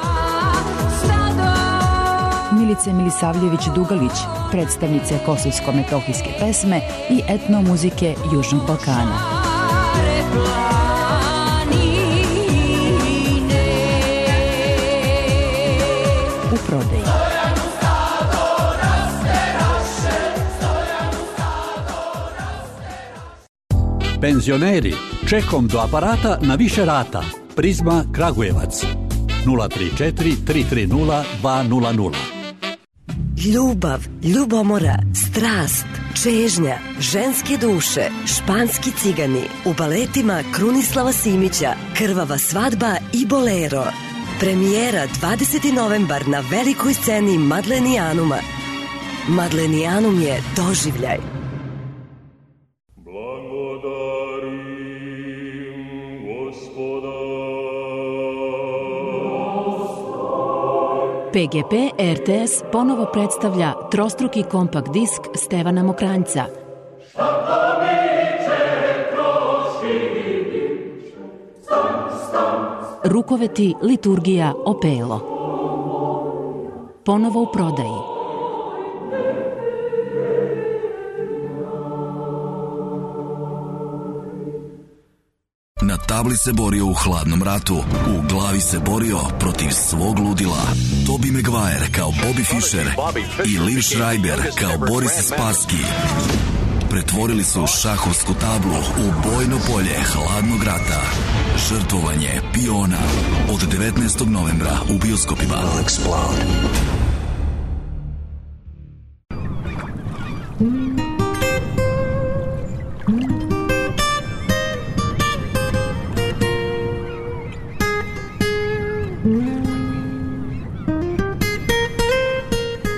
Milice Milisavljević Dugalić, predstavnice kosovsko-metohijske pesme i etnomuzike Južnog Balkana. U prodaji. Penzioneri, čekom do aparata na više rata. Prizma Kragujevac. nula tri četiri tri tri nula dva nula nula. Ljubav, ljubomora, strast, čežnja, ženske duše, španski cigani, u baletima Krunislava Simića, Krvava svadba i Bolero. Premijera dvadeseti novembar na velikoj sceni Madlenijanuma. Madlenijanum je doživljaj. pe ge pe er te es ponovo predstavlja trostruki kompakt disk Stevana Mokranjca. Rukoveti, liturgija, opelo. Ponovo u prodaji. Na tabli se borio u hladnom ratu, u glavi se borio protiv svog ludila. Tobey Maguire kao Bobby Fischer i Liv Schreiber kao Boris Spassky pretvorili su šahovsku tablu u bojno polje hladnog rata. Žrtvovanje piona od devetnaestog novembra u bioskopima.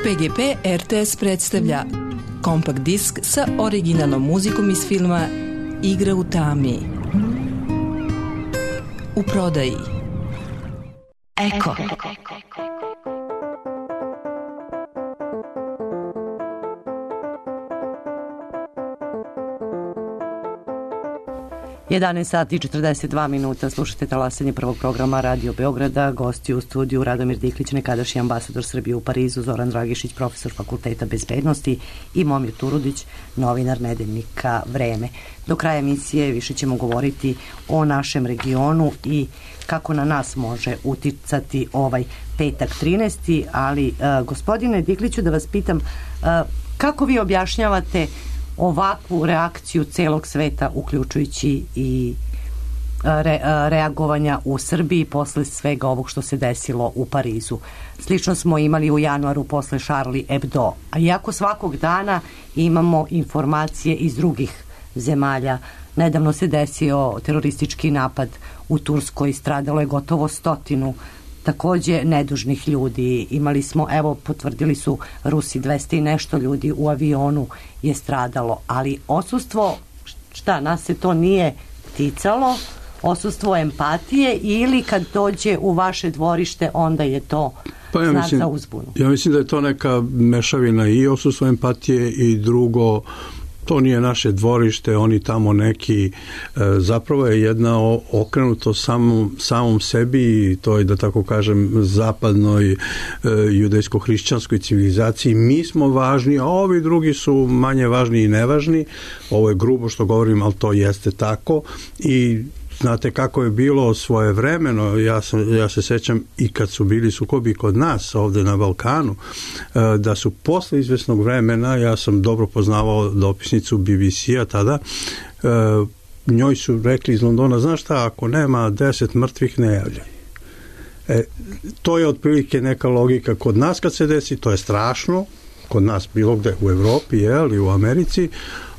pe ge pe er te es predstavlja kompakt disk sa originalnom muzikom iz filma Igra u tami. U prodaji. Eko. jedanaest sati i četrdeset dva minuta, slušate talasanje prvog programa Radio Beograda. Gosti u studiju Radomir Diklić, nekadašnji ambasador Srbije u Parizu, Zoran Dragišić, profesor Fakulteta bezbednosti i Momir Turudić, novinar nedeljnika Vreme. Do kraja emisije više ćemo govoriti o našem regionu i kako na nas može uticati ovaj petak trinaesti. Ali, uh, gospodine Dikliću, da vas pitam, uh, kako vi objašnjavate ovakvu reakciju celog sveta, uključujući i re, reagovanja u Srbiji posle svega ovog što se desilo u Parizu? Slično smo imali u januaru posle Charlie Hebdo, a iako svakog dana imamo informacije iz drugih zemalja. Nedavno se desio teroristički napad u Turskoj, stradalo je gotovo stotinu takođe nedužnih ljudi. Imali smo, evo, potvrdili su Rusi, dvesta i nešto ljudi u avionu je stradalo, ali odsustvo, šta, nas se to nije ticalo, odsustvo empatije, ili kad dođe u vaše dvorište, onda je to pa ja znak mislim, za uzbunu? Ja mislim da je to neka mešavina i odsustvo empatije i drugo, to nije naše dvorište, oni tamo neki, zapravo je jedna okrenuto samom, samom sebi i to je, da tako kažem, zapadnoj judejsko-hrišćanskoj civilizaciji. Mi smo važni, a ovi drugi su manje važni i nevažni. Ovo je grubo što govorim, ali to jeste tako i znate kako je bilo svojevremeno, ja, sam, ja se sećam i kad su bili sukobi kod nas ovde na Balkanu, da su posle izvesnog vremena, ja sam dobro poznavao dopisnicu B B C-a tada, njoj su rekli iz Londona, znaš šta, ako nema deset mrtvih, ne javljaj. E, to je otprilike neka logika kod nas kad se desi, to je strašno, kod nas bilo gde, u Evropi, jel, i u Americi,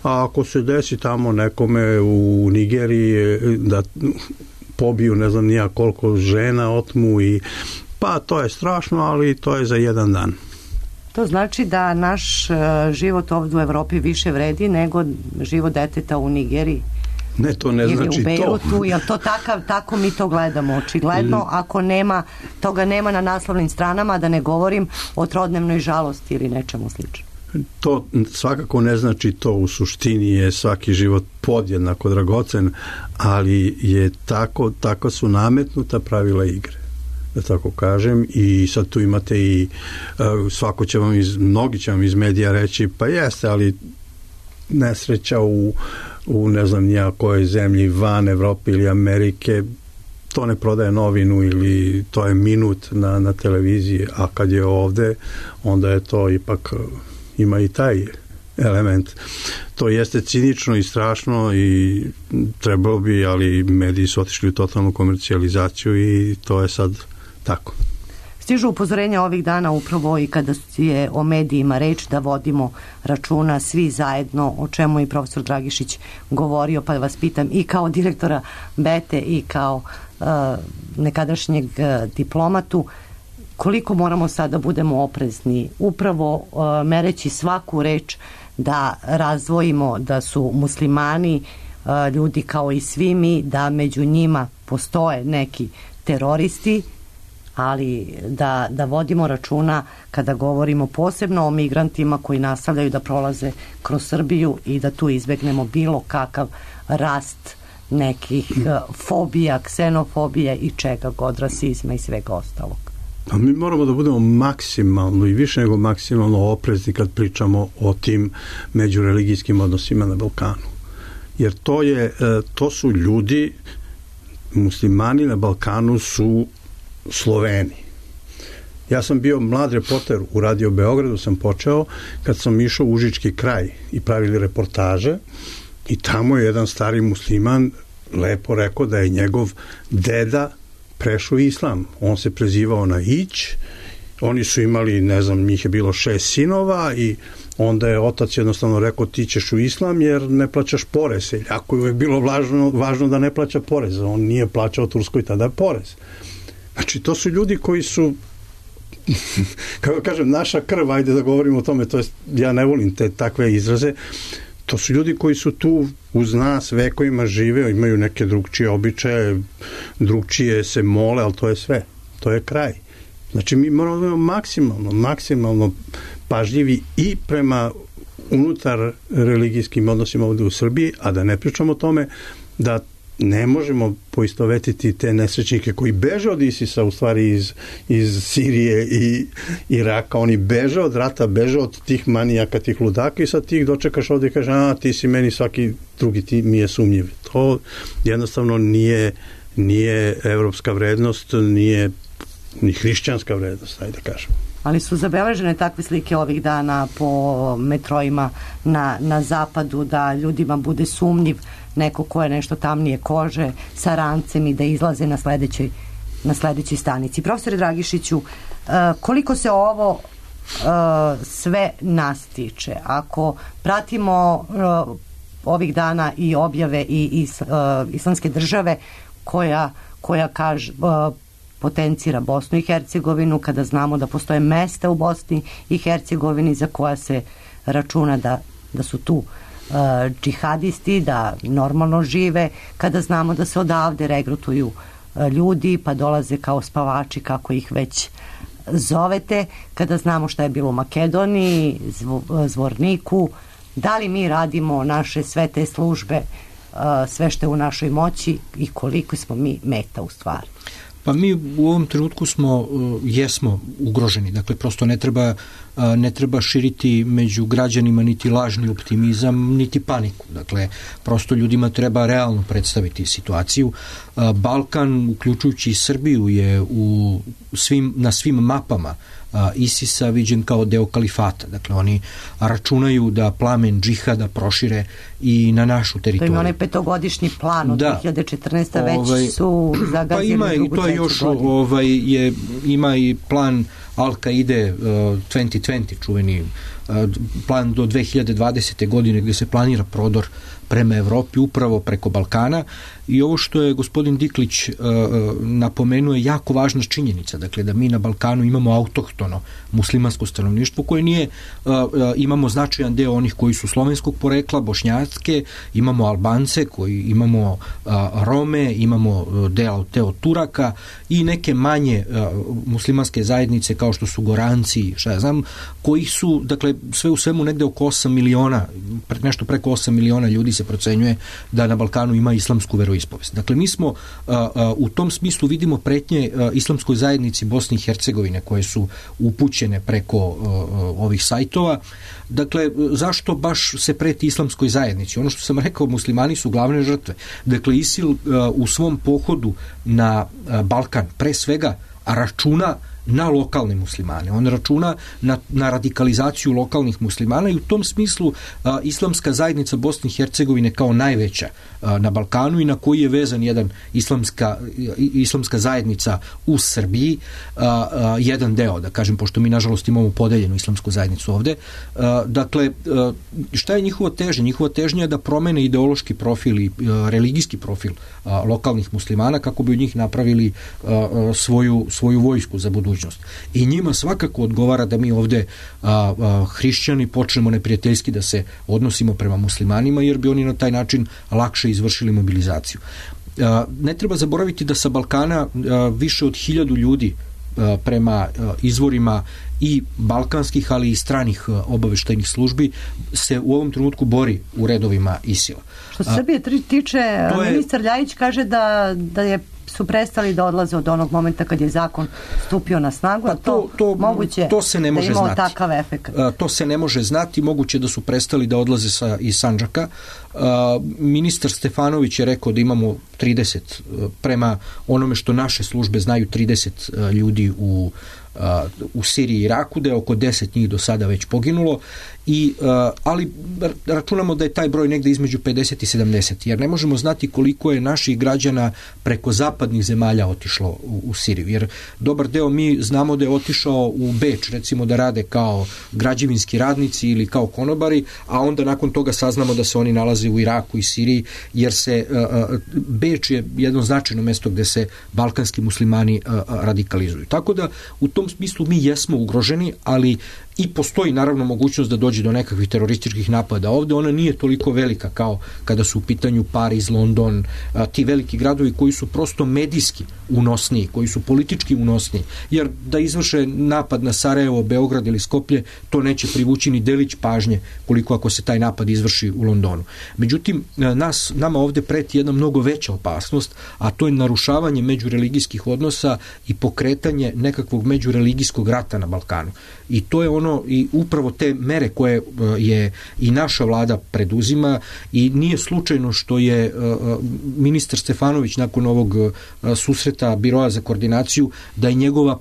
a ako se desi tamo nekome u Nigeriji da pobiju ne znam nija koliko žena, otmu i pa to je strašno, ali to je za jedan dan. To znači da naš život ovdje u Evropi više vredi nego život deteta u Nigeriji? Ne, to ne ili znači u Beirutu, to. Jel to takav, tako mi to gledamo očigledno, ako nema, toga nema na naslovnim stranama, da ne govorim o trodnevnoj žalosti ili nečemu slično. To svakako ne znači to, u suštini je svaki život podjednako dragocen, ali je tako, tako su nametnuta pravila igre, da tako kažem, i sad tu imate i uh, svako će vam iz, mnogi će vam iz medija reći, pa jeste, ali nesreća u, u ne znam nija kojoj zemlji van Evrope ili Amerike, to ne prodaje novinu ili to je minut na, na televiziji, a kad je ovde, onda je to ipak, ima i taj element. To jeste cinično i strašno i trebalo bi, ali mediji su otišli u totalnu komercijalizaciju i to je sad tako. Stižu upozorenja ovih dana upravo i kada je o medijima reč, da vodimo računa svi zajedno, o čemu je profesor Dragišić govorio, pa vas pitam i kao direktora Bete i kao uh, nekadašnjeg uh, diplomatu, koliko moramo sad da budemo oprezni, upravo uh, mereći svaku reč, da razdvojimo da su muslimani uh, ljudi kao i svi mi, da među njima postoje neki teroristi, ali da, da vodimo računa kada govorimo posebno o migrantima koji nastavljaju da prolaze kroz Srbiju i da tu izbegnemo bilo kakav rast nekih uh, fobija, ksenofobije i čega god, rasizma i svega ostalog. Pa mi moramo da budemo maksimalno i više nego maksimalno oprezni kad pričamo o tim međureligijskim odnosima na Balkanu. Jer to je, to su ljudi, muslimani na Balkanu su Sloveni. Ja sam bio mlad reporter u Radio Beogradu, sam počeo kad sam išao u Užički kraj i pravili reportaže i tamo je jedan stari musliman lepo rekao da je njegov deda prešao islam. On se prezivao na Ić, oni su imali, ne znam, njih je bilo šest sinova i onda je otac jednostavno rekao ti ćeš u islam jer ne plaćaš porez. Jako je bilo važno, važno da ne plaća porez. On nije plaćao Turskoj tada porez. Znači, to su ljudi koji su, kako kažem, naša krv, ajde da govorimo o tome, to jest, ja ne volim te takve izraze, to su ljudi koji su tu uz nas vekovima žive, imaju neke drugčije običaje, drugčije se mole, ali to je sve, to je kraj. Znači, mi moramo da maksimalno, maksimalno pažljivi i prema unutar religijskim odnosima ovde u Srbiji, a da ne pričamo o tome da ne možemo poistovetiti te nesrećnike koji beže od Isisa, u stvari iz, iz Sirije i Iraka, oni beže od rata, beže od tih manijaka, tih ludaka i sad ti ih dočekaš ovdje i kaže, a ti si meni svaki drugi, ti mi je sumnjiv. To jednostavno nije, nije evropska vrednost, nije ni hrišćanska vrednost, ajde da kažem. Ali su zabeležene takve slike ovih dana po metrojima na, na zapadu, da ljudima bude sumnjiv neko ko je nešto tamnije kože sa rancem i da izlaze na sledećoj, na sledećoj stanici. Profesore Dragišiću, koliko se ovo sve nas tiče? Ako pratimo ovih dana i objave i is, islamske države koja, koja kaže potencira Bosnu i Hercegovinu, kada znamo da postoje mesta u Bosni i Hercegovini za koja se računa da, da su tu uh, džihadisti, da normalno žive, kada znamo da se odavde regrutuju uh, ljudi pa dolaze kao spavači, kako ih već zovete, kada znamo šta je bilo u Makedoniji, zvo, Zvorniku, da li mi radimo naše sve te službe, uh, sve što je u našoj moći i koliko smo mi meta u stvari? Pa mi u ovom trenutku smo, uh, jesmo ugroženi, dakle prosto ne treba, uh, ne treba širiti među građanima niti lažni optimizam, niti paniku. Dakle, prosto ljudima treba realno predstaviti situaciju. Uh, Balkan, uključujući i Srbiju, je u svim, na svim mapama ISIS-a viđen kao deo kalifata. Dakle, oni računaju da plamen džihada prošire i na našu teritoriju. To ima onaj petogodišnji plan od da. dve hiljade četrnaeste. već ovaj, su zagazili pa ima, drugu, to je još, ovaj, je, ima i plan Al-Kaide uh, dvadeset dvadeset, čuveni uh, plan do dve hiljade dvadesete. godine gdje se planira prodor prema Evropi upravo preko Balkana, i ovo što je gospodin Diklić uh, napomenuo je jako važna činjenica, dakle da mi na Balkanu imamo autohtono muslimansko stanovništvo koje nije, uh, uh, imamo značajan deo onih koji su slovenskog porekla, bošnjatske, imamo Albance, koji imamo uh, Rome, imamo uh, deo, deo Turaka i neke manje uh, muslimanske zajednice kao što su Goranci, šta ja znam, koji su, dakle, sve u svemu negde oko osam miliona, nešto preko osam miliona ljudi se procenjuje da na Balkanu ima islamsku veroispovest. Dakle, mi smo uh, uh, u tom smislu vidimo pretnje uh, islamskoj zajednici Bosne i Hercegovine koje su upućene preko uh, ovih sajtova. Dakle, zašto baš se preti islamskoj zajednici? Ono što sam rekao, muslimani su glavne žrtve. Dakle, ISIL uh, u svom pohodu na uh, Balkan pre svega računa na lokalne muslimane. On računa na, na radikalizaciju lokalnih muslimana i u tom smislu a, islamska zajednica Bosne i Hercegovine kao najveća a, na Balkanu i na koji je vezan jedan islamska, islamska zajednica u Srbiji, a, a, jedan deo, da kažem, pošto mi nažalost imamo podeljenu islamsku zajednicu ovde. A, dakle, a, šta je njihova težnja? Njihova težnja je da promene ideološki profil i a, religijski profil a, lokalnih muslimana kako bi od njih napravili a, a, svoju, svoju vojsku za budućnost. I njima svakako odgovara da mi ovde a, a, hrišćani počnemo neprijateljski da se odnosimo prema muslimanima, jer bi oni na taj način lakše izvršili mobilizaciju. A, ne treba zaboraviti da sa Balkana a, više od hiljadu ljudi a, prema a, izvorima i balkanskih, ali i stranih obaveštajnih službi se u ovom trenutku bori u redovima ISIL-a. Što se Srbije tiče, je... ministar Ljajić kaže da, da je su prestali da odlaze od onog momenta kad je zakon stupio na snagu, pa to, to, moguće to se ne može da imao znati. Takav efekt. To se ne može znati, moguće da su prestali da odlaze sa, iz Sandžaka. Ministar Stefanović je rekao da imamo trideset, prema onome što naše službe znaju, trideset ljudi u u Siriji i Iraku, da je oko deset njih do sada već poginulo, i, ali računamo da je taj broj negde između pedeset i sedamdeset, jer ne možemo znati koliko je naših građana preko zapadnih zemalja otišlo u, u Siriju, jer dobar deo mi znamo da je otišao u Beč, recimo da rade kao građevinski radnici ili kao konobari, a onda nakon toga saznamo da se oni nalaze u Iraku i Siriji, jer se uh, Beč je jedno značajno mesto gde se balkanski muslimani uh, radikalizuju. Tako da u tom smislu mi jesmo ugroženi, ali i postoji naravno mogućnost da dođe do nekakvih terorističkih napada ovde. Ona nije toliko velika kao kada su u pitanju Pariz, London, a, ti veliki gradovi koji su prosto medijski unosniji, koji su politički unosniji, jer da izvrše napad na Sarajevo, Beograd ili Skoplje, to neće privući ni delić pažnje koliko ako se taj napad izvrši u Londonu. Međutim, nas, nama ovde preti jedna mnogo veća opasnost, a to je narušavanje međureligijskih odnosa i pokretanje nekakvog međureligijskog rata na Balkanu. I to je ono, i upravo te mere koje je i naša vlada preduzima, i nije slučajno što je ministar Stefanović nakon ovog susreta Biroa za koordinaciju, da je njegova,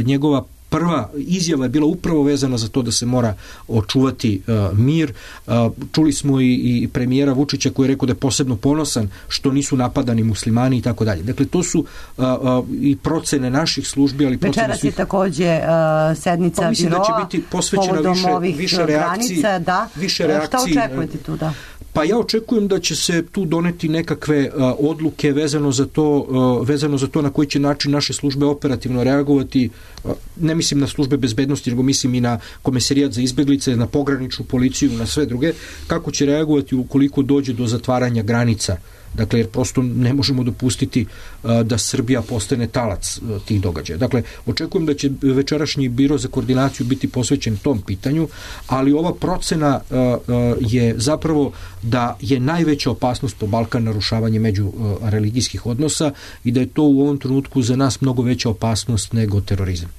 njegova prva izjava je bila upravo vezana za to da se mora očuvati uh, mir. Uh, čuli smo i, i premijera Vučića koji je rekao da je posebno ponosan što nisu napadani muslimani i tako dalje. Dakle, to su uh, uh, i procene naših službi, ali procene večeras svih... je takođe uh, sednica pa mislim biroa da će biti posvećena više, više reakciji. Granica, da. Više reakciji. Šta očekujete tu, da? Pa ja očekujem da će se tu doneti nekakve uh, odluke vezano za to, uh, vezano za to na koji će način naše službe operativno reagovati. Uh, ne mislim na službe bezbednosti, nego mislim i na Komesarijat za izbeglice, na pograničnu policiju, na sve druge, kako će reagovati ukoliko dođe do zatvaranja granica Dakle, jer prosto ne možemo dopustiti a, da Srbija postane talac a, tih događaja. Dakle, očekujem da će večerašnji biro za koordinaciju biti posvećen tom pitanju, ali ova procena a, a, je zapravo da je najveća opasnost po Balkan narušavanje među a, religijskih odnosa i da je to u ovom trenutku za nas mnogo veća opasnost nego terorizam.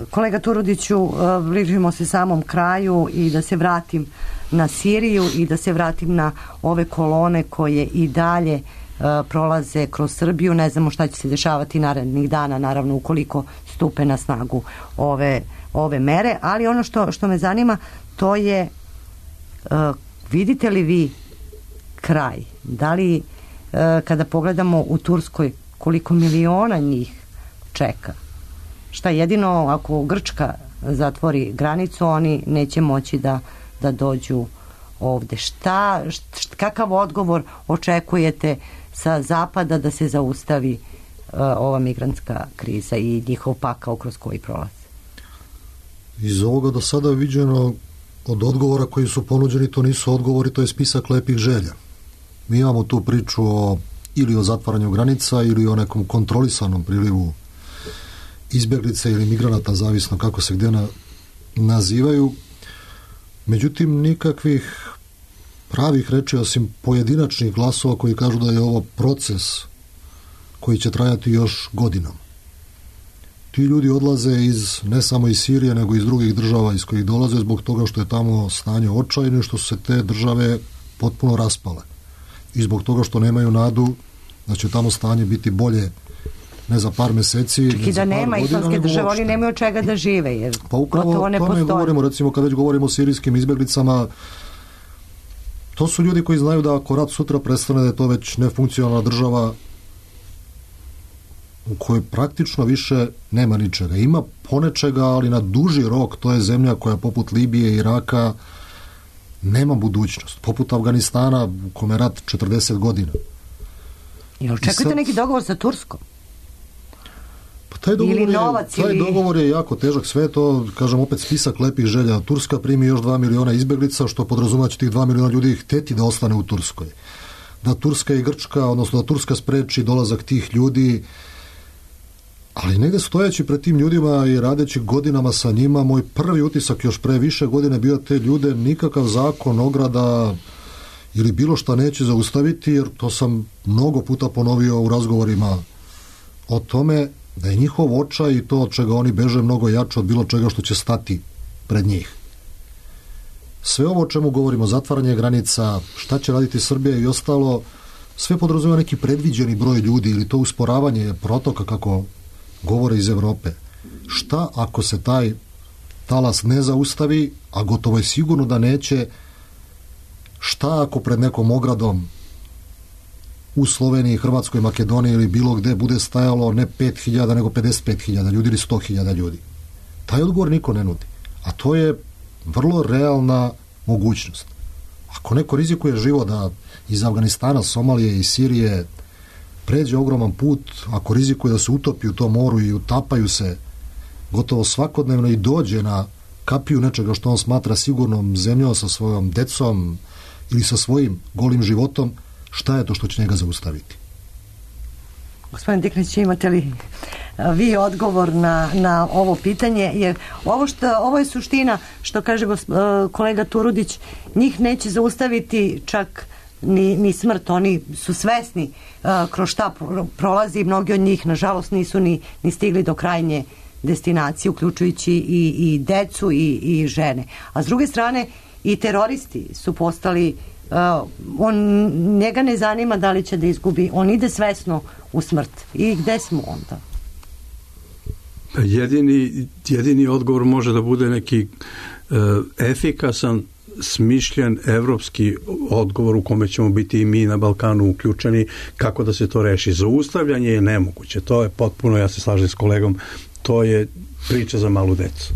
Kolega Turudiću, bližimo se samom kraju i da se vratim na Siriju i da se vratim na ove kolone koje i dalje uh, prolaze kroz Srbiju. Ne znamo šta će se dešavati narednih dana, naravno ukoliko stupe na snagu ove, ove mere, ali ono što, što me zanima to je uh, vidite li vi kraj? Da li uh, kada pogledamo u Turskoj koliko miliona njih čeka? Šta jedino ako Grčka zatvori granicu, oni neće moći da, da dođu ovde. Šta, št, kakav odgovor očekujete sa zapada da se zaustavi uh, ova migrantska kriza i njihov pakao kroz koji prolaze? Iz ovoga do sada viđeno od odgovora koji su ponuđeni, to nisu odgovori, to je spisak lepih želja. Mi imamo tu priču o, ili o zatvaranju granica ili o nekom kontrolisanom prilivu izbjeglice ili migranata, zavisno kako se gdje na, nazivaju. Međutim, nikakvih pravih reči, osim pojedinačnih glasova koji kažu da je ovo proces koji će trajati još godinom. Ti ljudi odlaze iz, ne samo iz Sirije, nego iz drugih država iz kojih dolaze zbog toga što je tamo stanje očajno i što su se te države potpuno raspale. I zbog toga što nemaju nadu da će tamo stanje biti bolje ne za par meseci. Čak i da nema islamske države, oni nemaju od čega da žive, jer pa upravo ne tome govorimo, recimo kad već govorimo o sirijskim izbjeglicama, to su ljudi koji znaju da ako rat sutra prestane, da je to već nefunkcionalna država u kojoj praktično više nema ničega. Ima ponečega, ali na duži rok to je zemlja koja poput Libije i Iraka nema budućnost. Poput Afganistana u kome je rat četrdeset godina. I očekujete sad neki dogovor sa Turskom? Pa taj dogovor, ili je, novac, taj ili... dogovor je jako težak, sve to, kažem opet, spisak lepih želja. Turska primi još dva miliona izbjeglica, što podrazumeva će tih dva miliona ljudi hteti da ostane u Turskoj. Da Turska i Grčka, odnosno da Turska spreči dolazak tih ljudi, ali negde stojeći pred tim ljudima i radeći godinama sa njima, moj prvi utisak još pre više godine bio te ljude nikakav zakon, ograda ili bilo šta neće zaustaviti, jer to sam mnogo puta ponovio u razgovorima o tome da je njihov očaj i to od čega oni beže mnogo jače od bilo čega što će stati pred njih. Sve ovo o čemu govorimo, zatvaranje granica, šta će raditi Srbija i ostalo, sve podrazumeva neki predviđeni broj ljudi ili to usporavanje protoka, kako govore iz Evrope. Šta ako se taj talas ne zaustavi, a gotovo je sigurno da neće, šta ako pred nekom ogradom u Sloveniji, Hrvatskoj, Makedoniji ili bilo gde bude stajalo ne pet hiljada nego pedeset pet hiljada ljudi ili sto hiljada ljudi? Taj odgovor niko ne nudi. A to je vrlo realna mogućnost. Ako neko rizikuje život da iz Afganistana, Somalije i Sirije pređe ogroman put, ako rizikuje da se utopi u tom moru i utapaju se gotovo svakodnevno i dođe na kapiju nečega što on smatra sigurnom zemljom sa svojom decom ili sa svojim golim životom, šta je to što će njega zaustaviti? Gospodin Diklić, imate li vi odgovor na, na ovo pitanje? Jer ovo, što, ovo je suština što kaže kolega Turudić, njih neće zaustaviti čak ni, ni smrt. Oni su svesni uh, kroz šta prolazi. Mnogi od njih, nažalost, nisu ni, ni stigli do krajnje destinacije, uključujući i, i decu i, i žene. A s druge strane, i teroristi su postali, uh, on, njega ne zanima da li će da izgubi, on ide svesno u smrt. I gde smo onda? Jedini, jedini odgovor može da bude neki uh, efikasan, smišljen evropski odgovor u kome ćemo biti i mi na Balkanu uključeni, kako da se to reši. Zaustavljanje je nemoguće, to je potpuno, ja se slažem s kolegom, to je priča za malu decu.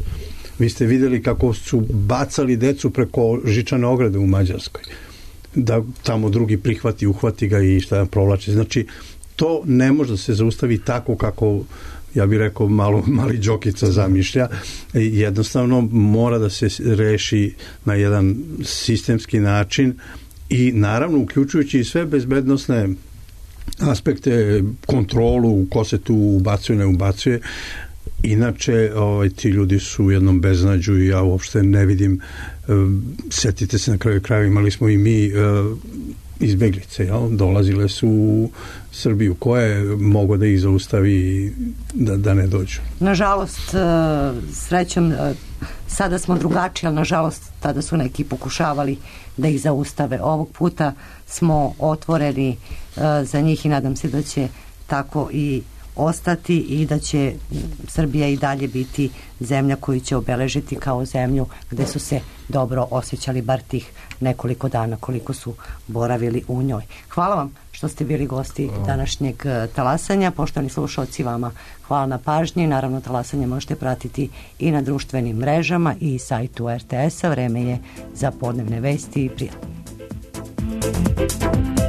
Vi ste vidjeli kako su bacali decu preko žičane ograde u Mađarskoj, da tamo drugi prihvati, uhvati ga i šta provlači. Znači, to ne može da se zaustavi tako kako, ja bih rekao, malo, mali Đokica zamišlja. Jednostavno mora da se reši na jedan sistemski način i naravno uključujući i sve bezbednosne aspekte, kontrolu, ko se tu ubacuje, ne ubacuje. Inače, ovaj, ti ljudi su u jednom beznađu i ja uopšte ne vidim, setite se na kraju kraja, imali smo i mi izbeglice, jel? Dolazile su u Srbiju, ko je mogao da ih zaustavi da, da ne dođu? Nažalost, srećom, sada smo drugačiji, ali nažalost tada su neki pokušavali da ih zaustave. Ovog puta smo otvoreni za njih i nadam se da će tako i ostati i da će Srbija i dalje biti zemlja koju će obeležiti kao zemlju gde su se dobro osjećali bar tih nekoliko dana koliko su boravili u njoj. Hvala vam što ste bili gosti današnjeg talasanja. Poštovani slušalci, vama hvala na pažnji. Naravno, talasanje možete pratiti i na društvenim mrežama i sajtu er te es-a. Vreme je za podnevne vesti i prijatno. Thank you.